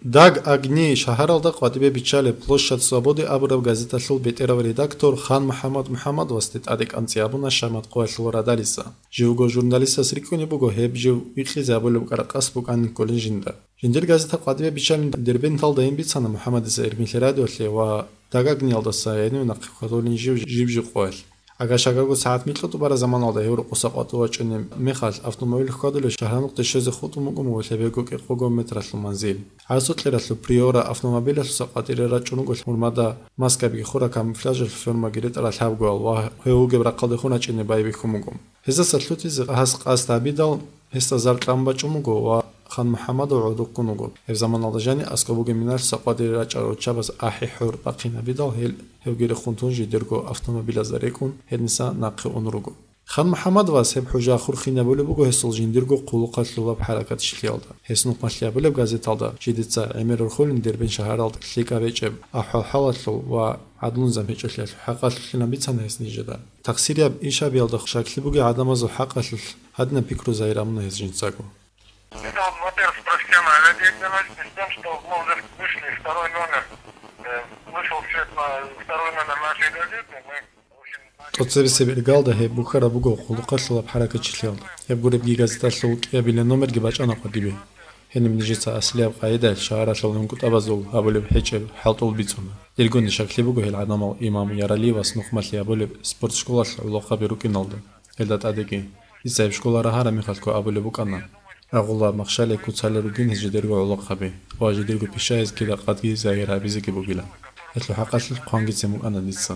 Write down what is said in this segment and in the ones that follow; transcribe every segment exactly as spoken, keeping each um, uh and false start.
Даг огней шагьаралда къватӀибе биччалеб Площадь Свободы абураб газеталъул бетӀерав редактор Хан МухӀаммад МухӀаммадовасде тӀаде кӀанцӀи абуна Шамат къоялъул радалица. Живго журналистас рикӀкӀунеб буго гьеб жив вихъизе абулеб кӀаракъас букӀанин кколин жинда. Жиндир газета къватӀибе биччалин Дербенталдайин бицана МухӀаммадица Эркинлъи радиолъе ва Даг огнеялдаса гьенив нахъе хьвадулин жив жиб-жиб къоялъ. Агашагарго сагӀат микьутӀубара заманалда гьев рукъуса къватӀив вачӀунеб мехалъ, автомобиль хьвадулев шагьарнухъде щвезе хутӀун букӀун буго лъебего кӀикъого метралъул манзил. ГӀарсукьералъул Приора автомобилалъуса къватӀире рачӀун руго гьурмада маскабиги хураб, камуфляжалъул формаги ретӀарал гьабгоял ва гьев вугеб рахъалдехун рачӀине байбихьун буго. Гьездаса лъутизе гьас къасд гьабидал, гьесда зар кьан бачӀун буго ва Хан МухӀаммадов гӀодов ккун вуго. Гьеб заманалда жани аскӀоб бугеб миналъуса къватӀире рачӀарал руччабаз ахӀи-хӀур бахъин гьабидал, гьел гьевги рехун тун жидерго автомобилазда рекӀун гьениса нахъе ун руго. Хан МухӀаммадовас гьеб хӀужа хурхинабулеб буго гьесул жиндирго хъулухъалъулаб хӀаракатчилъиялда. Гьес нухмалъи абулеб газеталда жидеца гӀемер рухулин Дербент шагьаралда лъикӀаб гьечӀеб ахӀвал-хӀалалъул ва гӀадлу-низам гьечӀолъиялъул хӀакъалъулъилан бицана гьес нижеда. Тахсирияб ишабиялда щаклъи бугей гӀадамазул хӀакъалъулъ гьадинаб пикру загьир гьабуна гьес жинцаго. Это вот, во-первых, профессиональная деятельность, и с тем, что мы уже вышли, второй номер, э, вышел в свет на второй номер нашей газеты, мы, в общем, начали... ТӀоцебесеб иргалда гьеб бухьараб буго хъулухъалъулаб хӀаракатчилъиялда. Гьеб гуребги газеталъул кӀиабилеб номерги бачӀана къватӀибе. Гьениб нижеца аслияб къагӀидаялъ шагьаралъул гӀунгутӀабазул гьабулеб гьечӀеб хӀалтӀул бицуна. Диргони щаклъи буго гьел гӀадамал имам Яралиевас нухмалъи гьабулеб спорт школалъ гӀолохъаби рукӀиналда. Гьелда тӀадеги. Дица гьеб школа рагьараб мехалъго абулеб букӀана, рагъулаб махщалиялъ куцалел ругин гьез жидерго гӀолохъаби ва жидерго пишаязги ракъадги загьир гьабизеги бугилан. Гьелъул хӀакъалъулъ хъвангицин букӀана дица.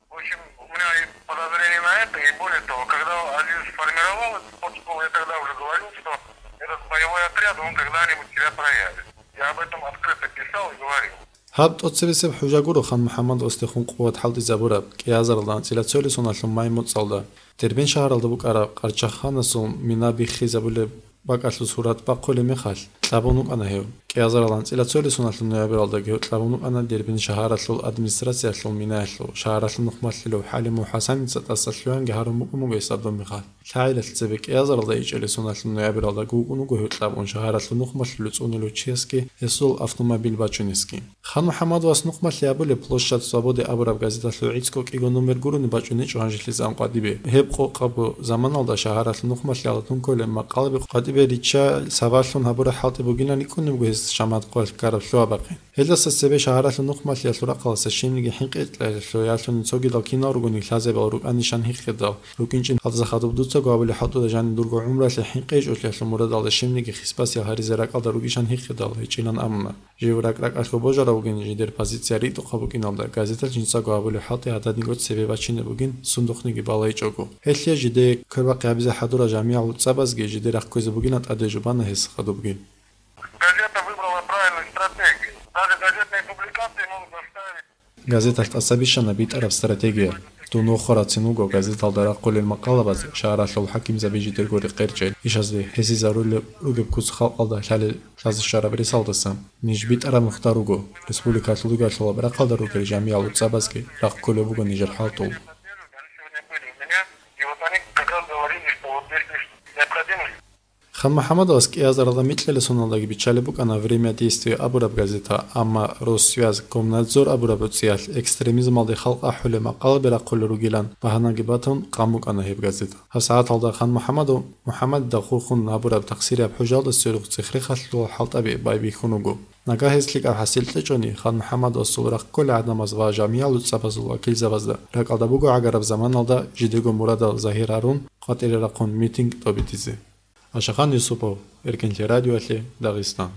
В общем, у меня и подозрение на это, и более того, когда Азиз сформировал эту спортшколу, я тогда уже говорил, что этот боевой отряд, он когда-нибудь себя проявит. Я об этом открыто писал и говорил. Гьаб тӀоцебесеб хӀужа гуро Хан МухӀаммадовасдехун къуват хӀалтӀизабураб, кӀиазаралда анцӀила цоял соналъул май моцӀалда, Дербент шагьаралда букӀараб Къарчаханасул мина биххизабулеб бакӀалъул сурат бахъулеб мехалъ, кьабун вукӀана гьев. КӀиазаралда анцӀила цоял соналъул ноябралдаги гьев кьабун вукӀана Дербент шагьаралъул администрациялъул минаялъул, шагьаралъул нухмалъилев ХӀалимов ХӀасаница тӀаса лъугьанги гьарун букӀун буго гьесда доб мехалъ. ЛъагӀалилъ цебе кӀиазаралда ичӀелесуналъул ноябралда гукӀун вуго гьев кьабун шагьаралъул нухмалъулев цӀунелев чиясги гьесул автомобиль бачунесги. Хан МухӀаммадовас нухмалъи абулеб Площадь Свободы абураб газеталъул гӀицӀго кӀиго номер гурони бачӀунечӀо гьанжелъизе къватӀибе. Гьеб къокъабго заманалда шагьаралъул нухмалъиялда тункколеб макъалаби къватӀибе ричча сабаблъун гьабураб хӀалтӀи бугилан рикӀкӀунеб буго гьес Шамат къоялъ ккараб лъугьа-бахъин. Гьелдаса цебе шагьаралъул нухмалъиялъул рахъалдаса щибниги хӀинкъичӀолъиялъул, цогидал кинал ругони лъазабиял рукӀанищан гьикъидал, рукӀинчӀин гьалдаса хадуб дуцаго абулеб хӀалтӀуда жаниб дурго гӀумруялъе хӀинкъичӀолъиялъул мурадалда щибниги хисбасиялъ гьаризе ракӀалда ругищан гьикъидал гьечӀилан абуна. Жив ракӀ-ракӀалъго божарав вугин, жидер позиция ритӀухъаб букӀиналда, газеталъ жинцаго абулеб хӀалтӀи гьададинго цебе бачинеб бугин, сундухъниги балайчӀого. Гьелъие жидее квербахъи гьабизе хӀадурал жамигӀал цӀабазги жидер рахъ кквезе бугилан тӀаде жубана гьес хадубги. Газета выбрала правильную стратегию. Даже газетные публикации могут заставить... Газеталъ тӀаса бищана битӀараб стратегия. Дун вохарацин вуго газеталда рахъулел макъалабаз, шагьаралъул хӀакимзаби жидерго рекъерчӀел ишазде гьесизарулел ругеб куц халкъалда лъалел лъазе щвараб ресалдаса. Ниж битӀараб нухда руго, республикалъул ругелъулаб рахъалда ругел жамигӀал цӀабазги рахъ кколеб буго нижер хӀалтӀул. И вот они как раз говорили, что вот здесь есть необходимость. Хан МухӀаммадовас кӀиазаралда микьила соналдаги биччалеб букӀана «Время действия» абураб газета, амма «Россвязь», «Комнадзор» абураб гӀуцӀиялъ экстремизмалде халкъ ахӀулеб макъалаби рахъулел ругилан багьанаги батун, къан букӀана гьеб газета. ГьабсагӀаталда Хан МухӀаммадов МухӀаммадида хурхун гьабураб тахсирияб хӀужалда сверухъ цихърехъалъул хӀалтӀаби байбихьун вуго. Нагагь гьес лъикӀаб хӀасил кьечӀони, Хан МухӀаммадовасул рахъ кколел гӀадамаз ва жамигӀал цӀабазул вакилзабазда ракӀалда буго гӀагараб заманалда жидего мурадал загьир гьарун, къватӀире рахъун митинг тӀобитӀизе. Ашахан Юсупов, Эркинлъи радиоялъе, Дагъистан.